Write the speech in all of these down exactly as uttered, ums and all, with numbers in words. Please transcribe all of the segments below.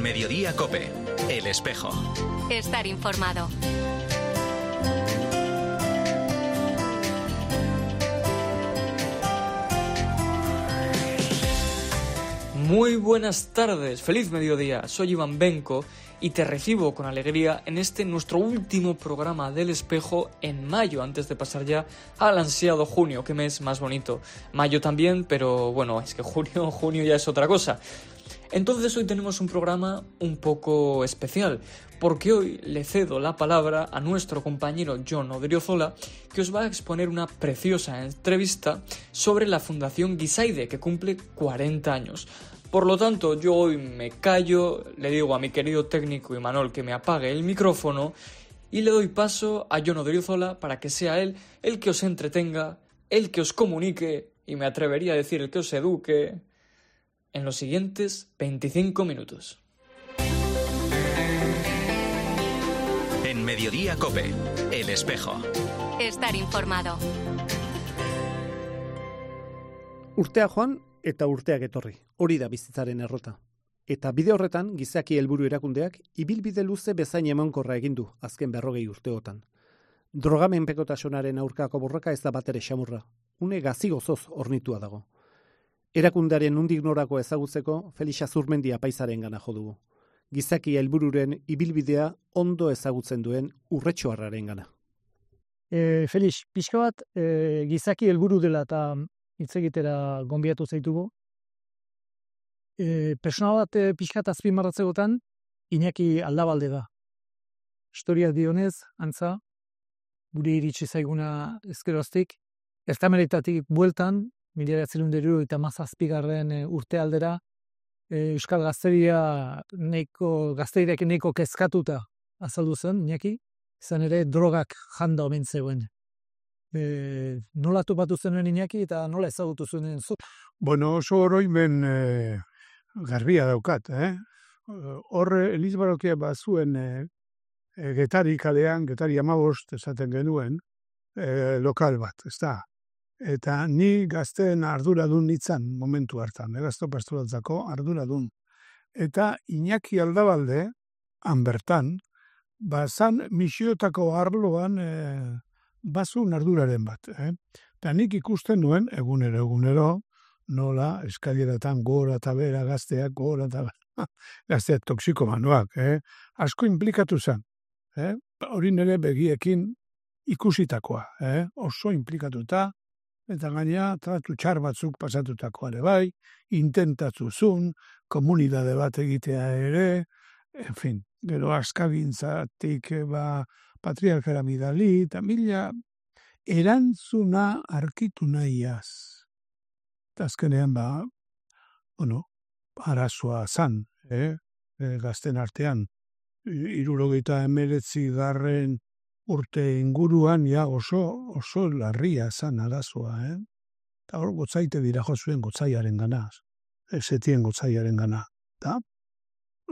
Mediodía COPE, El Espejo. Estar informado. Muy buenas tardes, feliz mediodía, soy Iván Benco y te recibo con alegría en este nuestro último programa del Espejo en mayo, antes de pasar ya al ansiado junio, qué mes más bonito. Mayo también, pero bueno, es que junio, junio ya es otra cosa. Entonces hoy tenemos un programa un poco especial, porque hoy le cedo la palabra a nuestro compañero Jon Odriozola, que os va a exponer una preciosa entrevista sobre la Fundación Gizaide, que cumple cuarenta años. Por lo tanto, yo hoy me callo, le digo a mi querido técnico Imanol que me apague el micrófono y le doy paso a Jon Odriozola para que sea él el que os entretenga, el que os comunique y me atrevería a decir el que os eduque en los siguientes veinticinco minutos. En Mediodía COPE, El Espejo. Estar informado. Urtea joan eta urteak etorri. Hori da bizitzaren errota. Eta bide horretan, gizaki helburu erakundeak ibilbide luze bezain emankorra egin du azken berrogei urteotan. Drogamenpekotasunaren aurkako borroka ez da batere xamurra. Une gazigozoz ornitua dago. Erakundearen nondik norako ezagutzeko Felix Azurmendi apaizaren gana jo dugu. Gizaki helbururen ibilbidea ondo ezagutzen duen urretxoarraren gana. E, Felix, pixka bat e, gizaki helburu dela eta hitz egitera gonbiatu zaitugu. E, Persona bat e, pixka bat azpimarratzegotan Iñaki Aldabalde da. Historia dionez, antza, guri iritsi zaiguna ezkeroztik, Ertameretatik bueltan, mila bederatziehun eta hirurogeita hamazazpigarren urte aldera, e, Euskal Gazteria neiko, gazteriak neiko kezkatuta azaldu zen, Iñaki, izan ere drogak janda omen zegoen. E, nola topatu zenuen Iñaki eta nola ezagutu zuen zu? Bueno, oso oroimen e, garbia daukat, eh? Horre Elizbarokia bazuen e, e, Getari kalean, Getari hamabost esaten genuen, e, lokal bat, ez da? Eta ni gazteen arduradun nitzan momentu hartan, eh, gazto pasturatzako arduradun. Eta Iñaki Aldabalde, han bertan, bazan misiotako arloan e, bazun arduraren bat. Eh? Eta nik ikusten nuen, egunero, egunero, nola eskalieratan gora eta bera gazteak, gora eta bera, gazteak toksikomanoak. Eh? Asko implikatu zen. Eh? Hori nire begiekin ikusitakoa. Eh? Oso implikatuta, eta gaina tratu txar batzuk pasatutakoa ere bai, intentatuzun, komunidade bat egitea ere, en fin, gero askabintzatik ba, patriarkara midali, eta mila erantzuna arkitu nahiaz. Eta azkenean ba, bueno, arazoa zan, eh? E, gazten artean, hirurogeita hemeretzi garren urte inguruan ja oso, oso larria zan arazoa, eh? Eta hor gotzaite dira jo zuen gotzaiaren gana, esetien gotzaiaren gana. Eta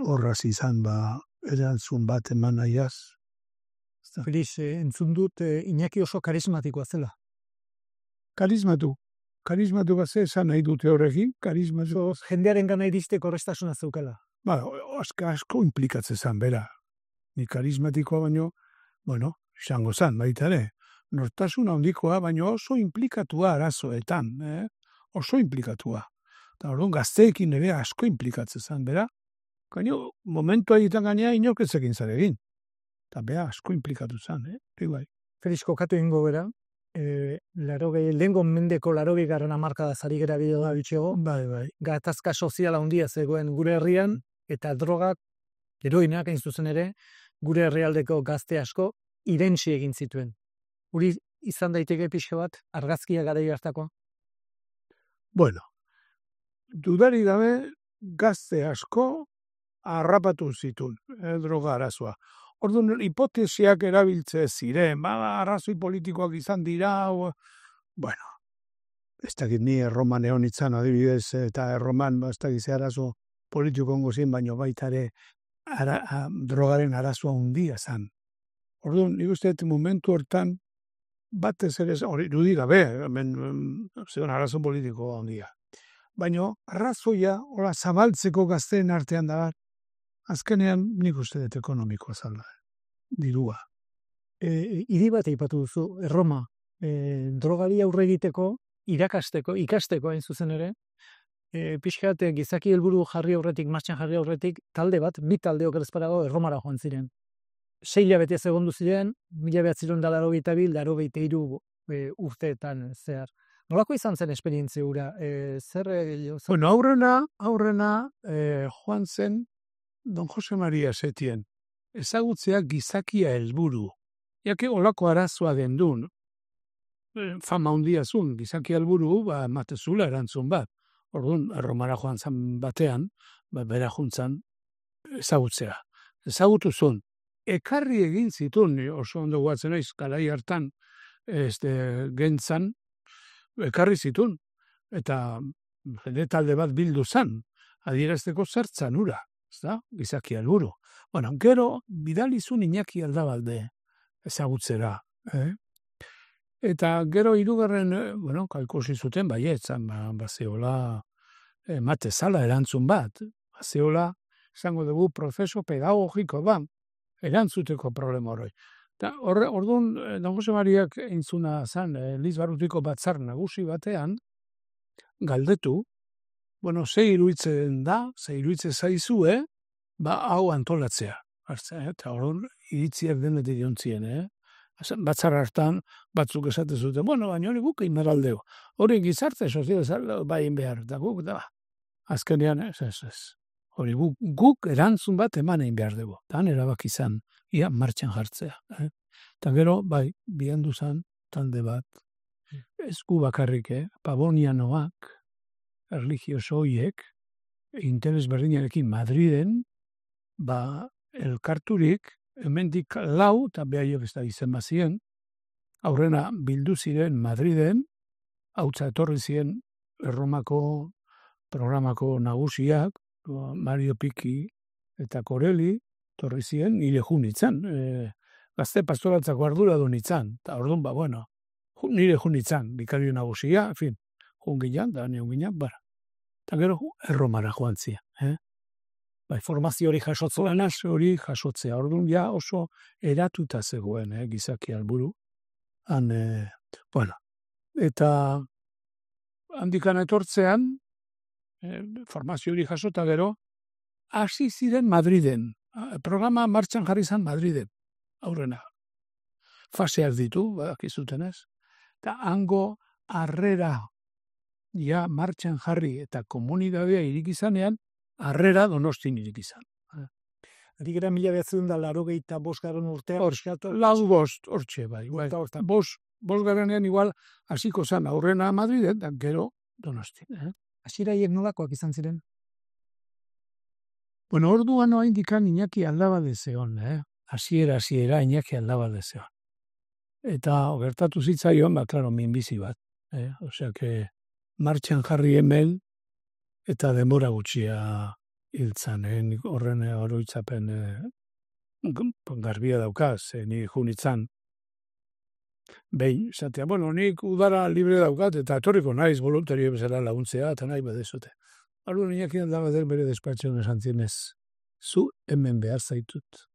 horraz izan ba, erantzun bat eman nahiaz. Felix, eh, entzun dut eh, Iñaki oso karismatikoa zela. Karismatu. Karismatu bat ze esan nahi dute horrekin, karismatu. So, jendearen gana iristeko errestasuna zeukela. Ba, asko, asko implikatzen zan, bera. Ni karismatikoa baino, bueno, izango zan, baita ere. Nortasun handikoa, baino oso implikatua arazoetan, eh? Oso implikatua. Eta orduan gazteekin ere asko implikatzen zan, bera. Gaino, momentu egiten gainea inorketzekin zaregin. Eta bea asko implikatu zan, eh? Bai. Felix, kokatu ingo bera, e, larogei, lehengo mendeko larogei garran amarkada zari gara bideo da bitxego, Bai, bai. gatazka soziala handia zegoen gure herrian, eta drogak, heroinak hain zuzen ere, gure herrialdeko gazte asko irentsi egin zituen. Uri izan daiteke pixka bat, argazkia garai hartakoa? Bueno, dudari gabe gazte asko harrapatu zituen, eh, droga arazoa. Orduan, hipotesiak erabiltze ziren, ba, arrazoi politikoak izan dira, o... bueno, ez dakit ni erroman egon itzan adibidez, eta erroman, ba, ez dakit ze arazo politiko ongo zien, baino baita ere ara, a, drogaren arazoa hundia zan. Orduan, nik uste dut momentu hortan, batez ere, hori irudi gabe, hemen zegoen arazo politiko handia. Baina, arrazoia, hola, zabaltzeko gazteen artean da, azkenean nik uste dut ekonomikoa zala, dirua. E, hiri bat aipatu duzu, Erroma, e, drogari aurre egiteko, irakasteko, ikasteko hain zuzen ere, e, pixkat e, gizaki helburu jarri aurretik, martxan jarri aurretik, talde bat, bi talde okerezparago Erromara joan ziren. Sei hilabete segundu ziren, mila behatziron da laro gaita bil, laro gaita iru e, urteetan zehar. Nolako izan zen esperientzia hura? E, zer, e, zer... Bueno, aurrena, aurrena e, joan zen Don Jose Maria Setien, ezagutzea gizakia helburu. Jake olako arazoa den duen, fama hundia zuen, gizaki helburu, ba, matezula erantzun bat. Orduan, Erromara joan zan batean, ba, bera juntzan ezagutzea. Ezagutu zuen. Ekarri egin zituen, oso ondo guatzen naiz, garai hartan, este, gentzan, ekarri zituen. Eta jende talde bat bildu zan, adierazteko zertzan ura, ezta? Gizaki helburu. Bueno, gero, bidalizun Iñaki Aldabalde ezagutzera. Eh? Eta gero hirugarren, bueno, kalkusi zuten, baietzan, ba, bazeola, emate zala erantzun bat, bazeola, esango dugu, prozeso pedagogiko ba, erantzuteko problema horroi. Eta horre, orduan, Don Jose Mariak entzuna zan, Elizbarrutiko batzar nagusi batean, galdetu, bueno, ze iruitzen da, ze iruitzen zaizue, ba, hau antolatzea. Hartzea, eta orduan, iritziak denetik jontzien, eh? Batzar hartan, batzuk esate zuten, bueno, baina hori guk inmeraldeo. Hori gizarte, sozial, bain behar, eta guk, da, azkenean, ez, ez, ez. Hori guk, guk erantzun bat eman egin behar dugu. Tan erabak izan, ia martxan jartzea. Eh? Eta gero, bai, bihandu zan, talde bat, ez gu bakarrik, eh? Pabonianoak, erligioso hoiek, interes berdinarekin Madriden, ba, elkarturik, hemendik lau, eta behaiok ez da izen bazien, aurrena bildu ziren Madriden, hautza etorri ziren Erromako programako nagusiak, Mario Piki eta Koreli, torri ziren, nire jun itzan, e, gazte pastoratzako ardura du nitzan, eta orduan, ba, bueno, nire jun itzan, bikario nagusia, en fin, jun ginean, da nion ginean, bara. Eta gero, Erromara joan zia, eh? Bai, formazio hori jasotzen, hori jasotzea. Orduan ja oso eratuta zegoen, eh, gizaki helburu. Han, eh, bueno, eta handikan etortzean, eh, formazio hori jasota gero, hasi ziren Madriden. Programa martxan jarri zen Madriden, aurrena. Faseak ditu, badakizuten ez. Eta hango harrera ja martxan jarri eta komunidadea irik izanean, harrera Donostin irik izan. Ari gara mila behatzen da laro gehieta bosgarren urtean. Hor, lau bost, hortxe bai. bai. Bos, bosgarrenean igual hasiko zan aurrena Madriden, da gero Donostin. Eh? Hasieraiek nolakoak izan ziren? Bueno, orduan noa indikan Iñaki Aldabalde zeon, eh? Hasiera, hasiera Iñaki Aldabalde zeon. Eta gertatu zitzaion, ba, klaro, minbizi bat. Eh? Osea, que martxan jarri hemen, eta denbora gutxia hiltzan, eh? Horren oroitzapen eh, garbia daukaz, eh? Ni junitzan. Behin, zatea, bueno, nik udara libre daukat, eta etorriko naiz voluntario bezala laguntzea, eta nahi badezote. Ardu Iñakian da bader bere despatxean esan zienez, zu hemen behar zaitut.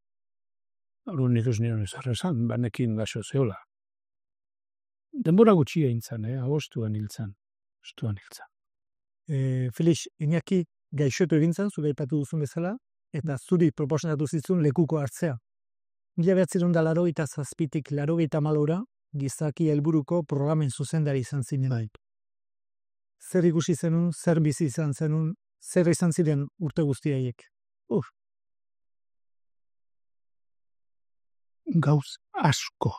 Ardu nik ez nion ez arrezan, banekin gaxo zeola. Denbora gutxia hintzan, eh? Agostuan hiltzan. Agostuan hiltzan. E, Felix, Iñaki gaixotu egintzen, zure aipatu duzun bezala, eta zuri proposanatu zitzun lekuko hartzea. Mila behatziron da laro eta zazpitik laro eta malora, gizaki helburuko programen zuzendari izan zinen. Bai. Zer ikusi zenun, zer bizi izan zenun, zer izan ziren urte guztiaiek? Uf. Gauz asko.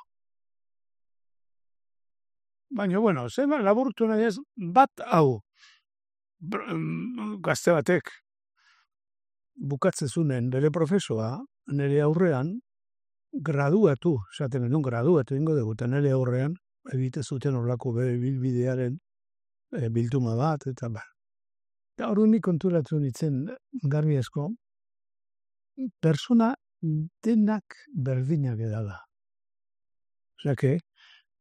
Baina, bueno, zema laburtu nahi ez, bat hau, gazte batek bukatzezunen bere profesoa, nire aurrean, graduatu, esaten genuen graduatu ingo dugu, eta nire aurrean, egite zuten horlako bere bilbidearen e, bilduma bat, eta ba. Eta hori nik konturatu nintzen garbi asko, persona denak berdinak edala. Osea, que,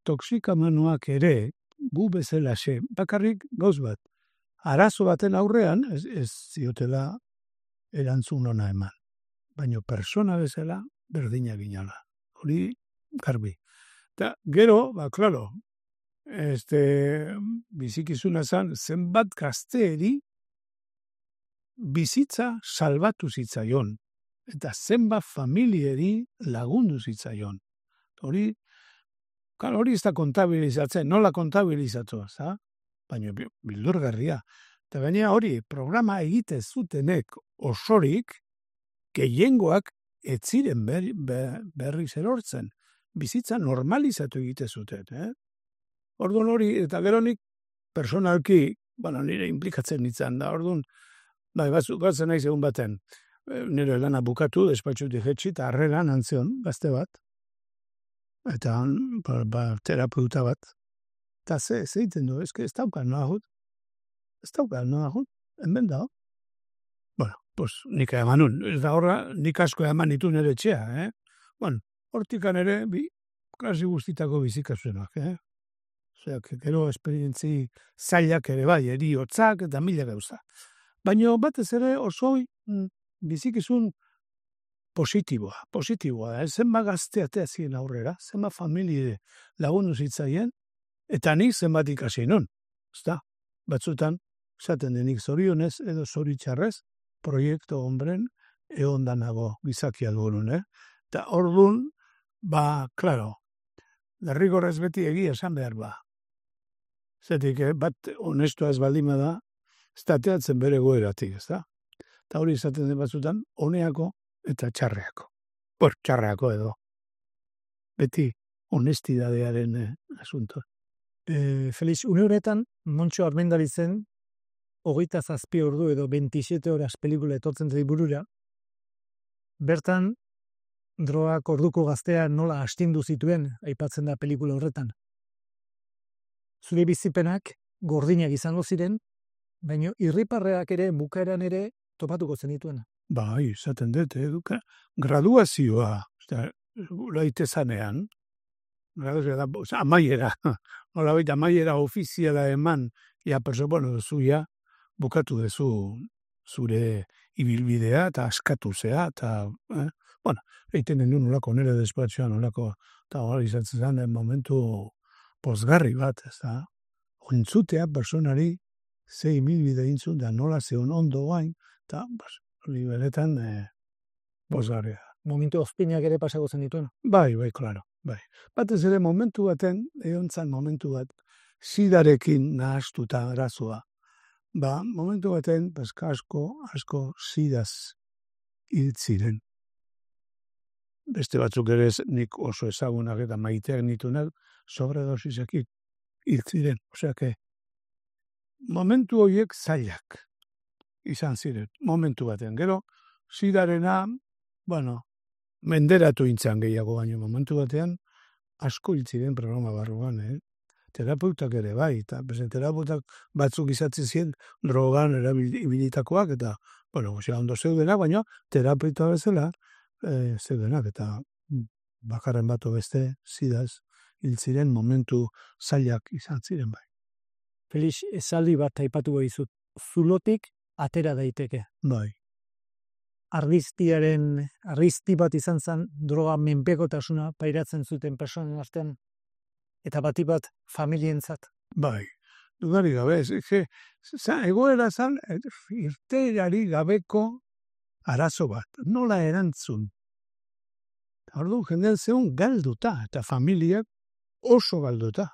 toxikamanoak ere, gu bezala xe, bakarrik gauz bat, arazo baten aurrean, ez, ez ziotela erantzun ona eman. baino persona bezala berdina ginala. Hori garbi. Eta gero, ba, klaro, este, bizikizuna zan, zenbat gazteeri bizitza salbatu zitzaion. Eta zenbat familieri lagundu zitzaion. Hori, klaro, hori ez da kontabilizatzen, nola kontabilizatu, za? Baina bildurgarria. Eta baina hori, programa egite zutenek osorik, gehiengoak ez ziren berri, berriz erortzen. Bizitza normalizatu egite zuten, eh? Orduan hori, eta geronik, personalki, bueno, nire implikatzen nintzen da, orduan, bai, batzen nahi egun baten, nire lana bukatu, despatxutik jetxi, eta harreran antzion, gazte bat, eta ba, ba, terapeuta bat, eta ze, ze iten du, ez, ez daukan noa jut, ez daukan noa jut, hemen da, bueno, pues, nik emanun, eta horra, nik asko eman ditu nire etxea, eh? Bueno, hortikan ere, bi, klasi guztitako bizikazuenak, eh? Osea, gero esperientzi zailak ere bai, eriotzak eta mila gauza. Baina batez ere oso bizikizun positiboa, positiboa da. Zenba gazteatea ziren aurrera, zenba familie lagundu zitzaien, eta nik zenbat ikasi non. Ezta, batzutan, esaten denik zorionez edo zoritxarrez, proiektu hombren eondanago gizakia dugun, eh? Eta orduan, ba, klaro, derrigorrez beti egia esan behar ba. Zetik, eh, bat honestua ez baldima da, ez dateatzen bere goeratik, ez da? Eta hori izaten den batzutan, honeako eta txarreako. Por, txarreako edo. Beti honestidadearen eh, asunto. E, Felix, une honetan, Montxo Armendarizen, hogeita zazpi ordu edo veintisiete horas pelikula etortzen zai burura, bertan, drogak orduko gaztea nola astindu zituen, aipatzen da pelikula horretan. Zure bizipenak gordinak izango ziren, baina irriparreak ere, bukaeran ere, topatuko zenituen. Bai, izaten dut, eduka, graduazioa, laite zanean, graduazioa da, amaiera, nola baita amaiera ofiziala eman, ja, perso, bueno, zuia, bukatu dezu zure ibilbidea, eta askatu zea, eta, eh? Bueno, egiten den nolako nire despatxoan, nolako, eta hori izatzen zen, momentu pozgarri bat, ez da, ontzutea personari ze ibilbide intzun, da nola zeon ondo guain, eta, hori beretan, eh, pozgarria. Momentu ozpinak ere pasako zen dituen. Bai, bai, klaro, bai. Batez ere momentu baten, egon zan momentu bat, sidarekin nahastuta arazoa. Ba, momentu baten, bazka asko, asko sidaz hiltziren. Beste batzuk ere nik oso ezagunak eta maiteak nitunak sobredosizek hiltziren. Osea, que momentu horiek zailak izan ziren, momentu baten. Gero, sidarena, bueno, menderatu intzan gehiago baino momentu batean, asko hiltziren programa barruan, eh? Terapeutak ere bai, eta terapeutak batzuk izatzen ziren drogan erabilitakoak, eta, bueno, osea, ondo zeudenak, baina terapeuta bezala, e, zeudenak, eta bakarren bato beste, zidaz, hiltziren momentu zailak izan ziren bai. Felix, esaldi bat aipatu behizut, zulotik atera daiteke. Bai. Argiztiaren, argizti bat izan zen, droga menpekotasuna pairatzen zuten personen artean, eta bati bat familientzat. Bai, dudari gabe, ez, egoera zan, irteari gabeko arazo bat, nola erantzun. Ordu, jendean zeun galduta, eta familiak oso galduta.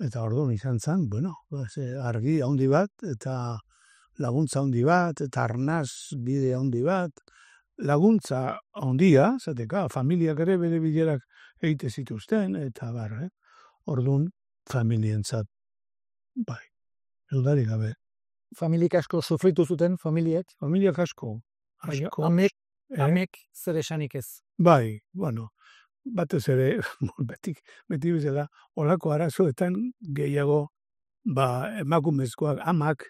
Eta orduan izan zen, bueno, argi handi bat, eta laguntza handi bat, eta arnaz bide handi bat, laguntza handia, zateka, familiak ere bere bilerak egite zituzten, eta bar, eh? Orduan, familientzat, bai, dudari gabe. Familiak asko sufritu zuten, familiek? Familiak asko, asko. Amek, eh? Amek zer esanik ez? Bai, bueno, batez ere, beti, beti bezala, olako arazoetan gehiago, ba, emakumezkoak, amak,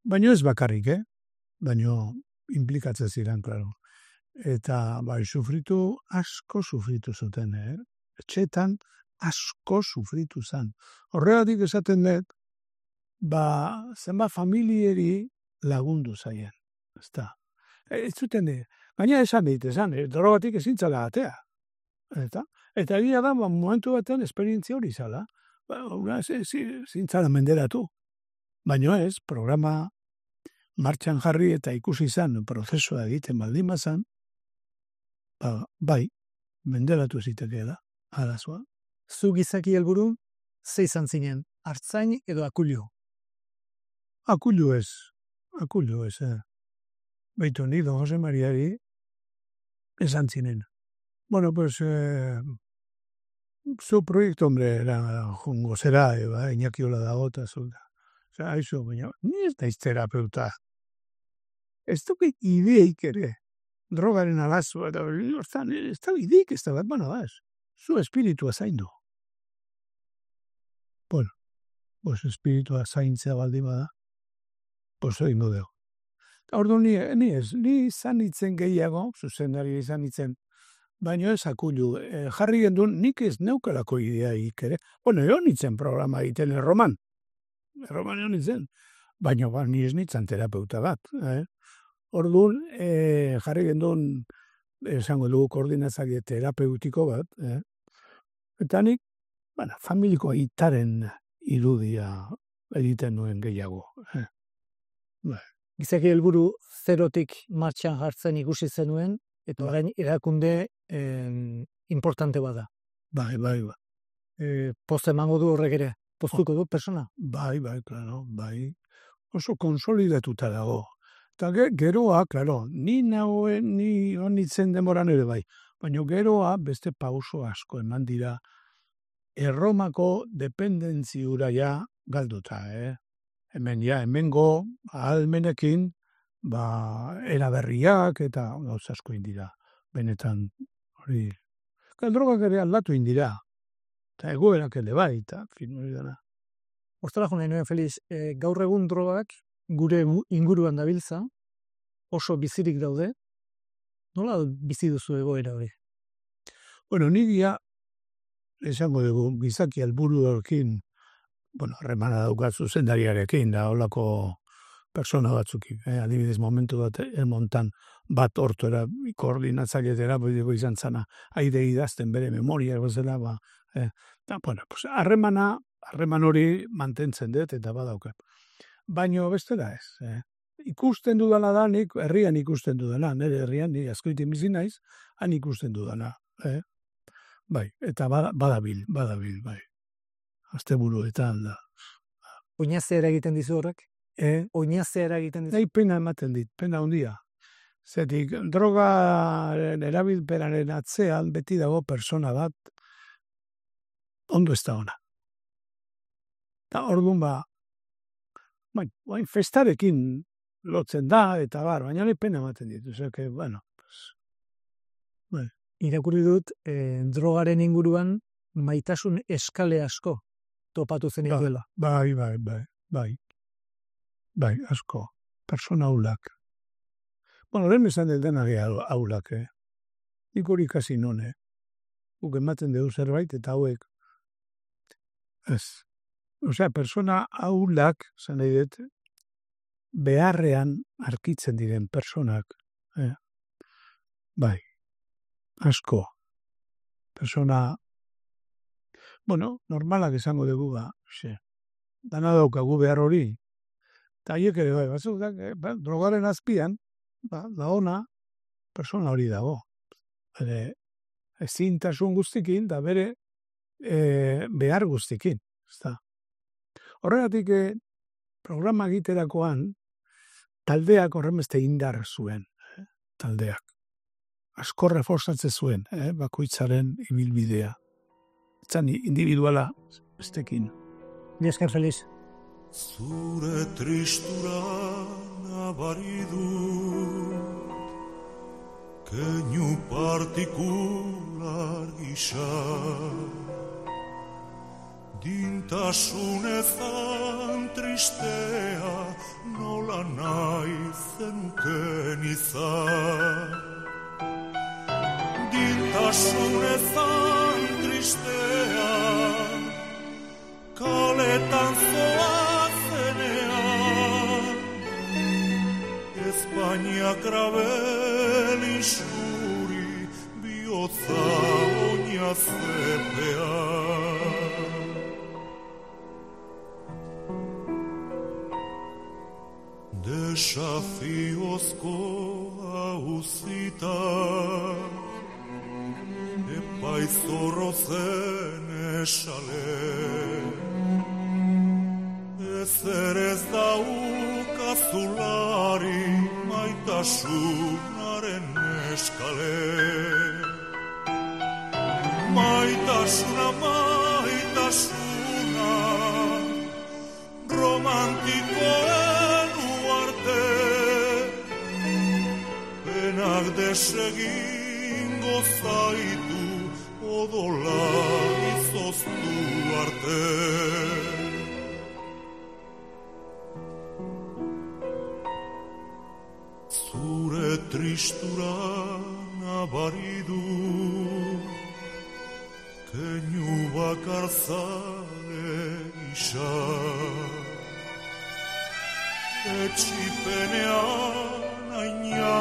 baino ez bakarrik, eh? Baino implikatzen ziren, klaro. Eta, bai, sufritu, asko sufritu zuten, eh? Etxetan, asko sufritu zen. Horregatik esaten dut, ba, zenba familieri lagundu zaien. Ezta. Ez zuten, Baina esan dit, esan, eh, drogatik ezin zala atea. Eta, eta egia da, ba, momentu batean esperientzia hori zala. Ba, una, ezin zala menderatu. Baina ez, programa martxan jarri eta ikusi izan prozesua egiten baldin bazan, ba, bai, menderatu zitekea da, arazoa. Zu gizaki helburu, ze izan zinen, artzain edo akullu? Akullu ez, akullu ez, eh. Beitu ni, don Jose Mariari, esan zinen. Bueno, pues, eh, zu proiektu, hombre, era jungo zera, eba, Iñaki hola dago, eta zulta. Osa, haizu, baina, ni ez daiz terapeuta. Ez duke ideik ere, drogaren alazua, eta hortan, ez da ideik ez da bat, bueno, ez, zu espiritua zaindu. Bueno, pues espiritua zaintzea baldin bada, pues egin dugu. Ordu ni, ni ez, ni izan itzen gehiago, zuzendari izan itzen, baina ez akullu, e, jarri gendun, nik ez neukalako idea ere. Bueno, egon itzen programa egiten erroman, erroman egon itzen, baina ba, ni ez nitzan terapeuta bat. Eh? Orduan, e, jarri gendun, esango dugu koordinatzaile terapeutiko bat, eh? Eta nik, bueno, familiko aitaren irudia egiten nuen gehiago. Eh? Bai. Gizaki helburu zerotik martxan jartzen ikusi zenuen, eta orain erakunde eh, importante bada. Bai, bai, bai. E, post emango du horrek ere, postuko du persona? Bai, bai, klaro, bai. Oso konsolidatuta dago. Eta geroa, klaro, ni nagoen, ni honitzen demoran ere bai. Baina geroa beste pauso asko eman dira Erromako dependentziura ja galduta, eh? Hemen ja, hemengo ahalmenekin, ba, eraberriak eta gauz asko indira. Benetan, hori, drogak ere aldatu indira. Eta egoerak ere bai, eta fin hori dara. Hortara jo nahi nuen, Feliz, e, gaur egun drogak gure inguruan dabiltza, oso bizirik daude, nola bizi duzu egoera hori? Bueno, nigia, esango dugu, gizaki helburu horrekin, bueno, remana daukat zuzendariarekin, da holako persona batzukin. Eh? Adibidez, momentu bat, elmontan bat ortuera, koordinatzailetera, bideko izan zana, aide idazten bere memoria, gozela, ba, eh? da, bueno, pues, harremana, harreman hori mantentzen dut, eta badaukat. Baina bestela ez. Eh? Ikusten dudala da, nik herrian ikusten dudala, nire herrian, ni askoitin bizi naiz, han ikusten dudala. Eh? Bai, eta badabil, badabil, bai. Asteburuetan da. Oinazea eragiten dizu horrek? Eh? Oinazea eragiten dizu? Nahi pena ematen dit, pena handia. Zetik, drogaren erabilpenaren atzean beti dago persona bat ondo ez da ona. Eta orduan ba, bain, bain festarekin lotzen da, eta bar, baina nahi pena ematen dit. Zeke, bueno, pues, bai. Irakurri dut, eh, drogaren inguruan maitasun eskale asko topatu zen duela. Bai, bai, bai, bai. Bai, asko. Persona aulak. Bueno, lehen esan dut dena aulak, eh? Nik hori kasi none. Guk ematen dugu zerbait, eta hauek. Ez. Osea, persona aulak, zan nahi dut, beharrean arkitzen diren personak. Eh? Bai. Asko. Persona, bueno, normalak esango dugu, ba, xe, dana daukagu behar hori, eta haiek ere bai, batzuk da, eh, ba, drogaren azpian, ba, da ona, persona hori dago. Bere, ezintasun guztikin, da bere e, behar guztikin. Ezta. Horregatik, eh, programa egiterakoan, taldeak horremeste indar zuen, eh, taldeak. Asko reforzatzen zuen, eh, bakoitzaren ibilbidea. Etzan individuala bestekin. Ni esker, Feliz. Zure tristura nabari dut, keinu partikular gisa, dintasunezan tristea nola nahi zenuken izan. Dintasunezan tristea kaletan zoazenean, ez baina krabel isuri bihotza oina zepea. Desafiozko hauzita epaizorro zen esale, ezer ez daukazulari maitasunaren eskale. Maitasuna, maitasuna, romantikoen uarte, penak desegingo zaitu odola izoztu arte. Zure tristura nabaridu, keinu bakar zale isa. Etxipenean aina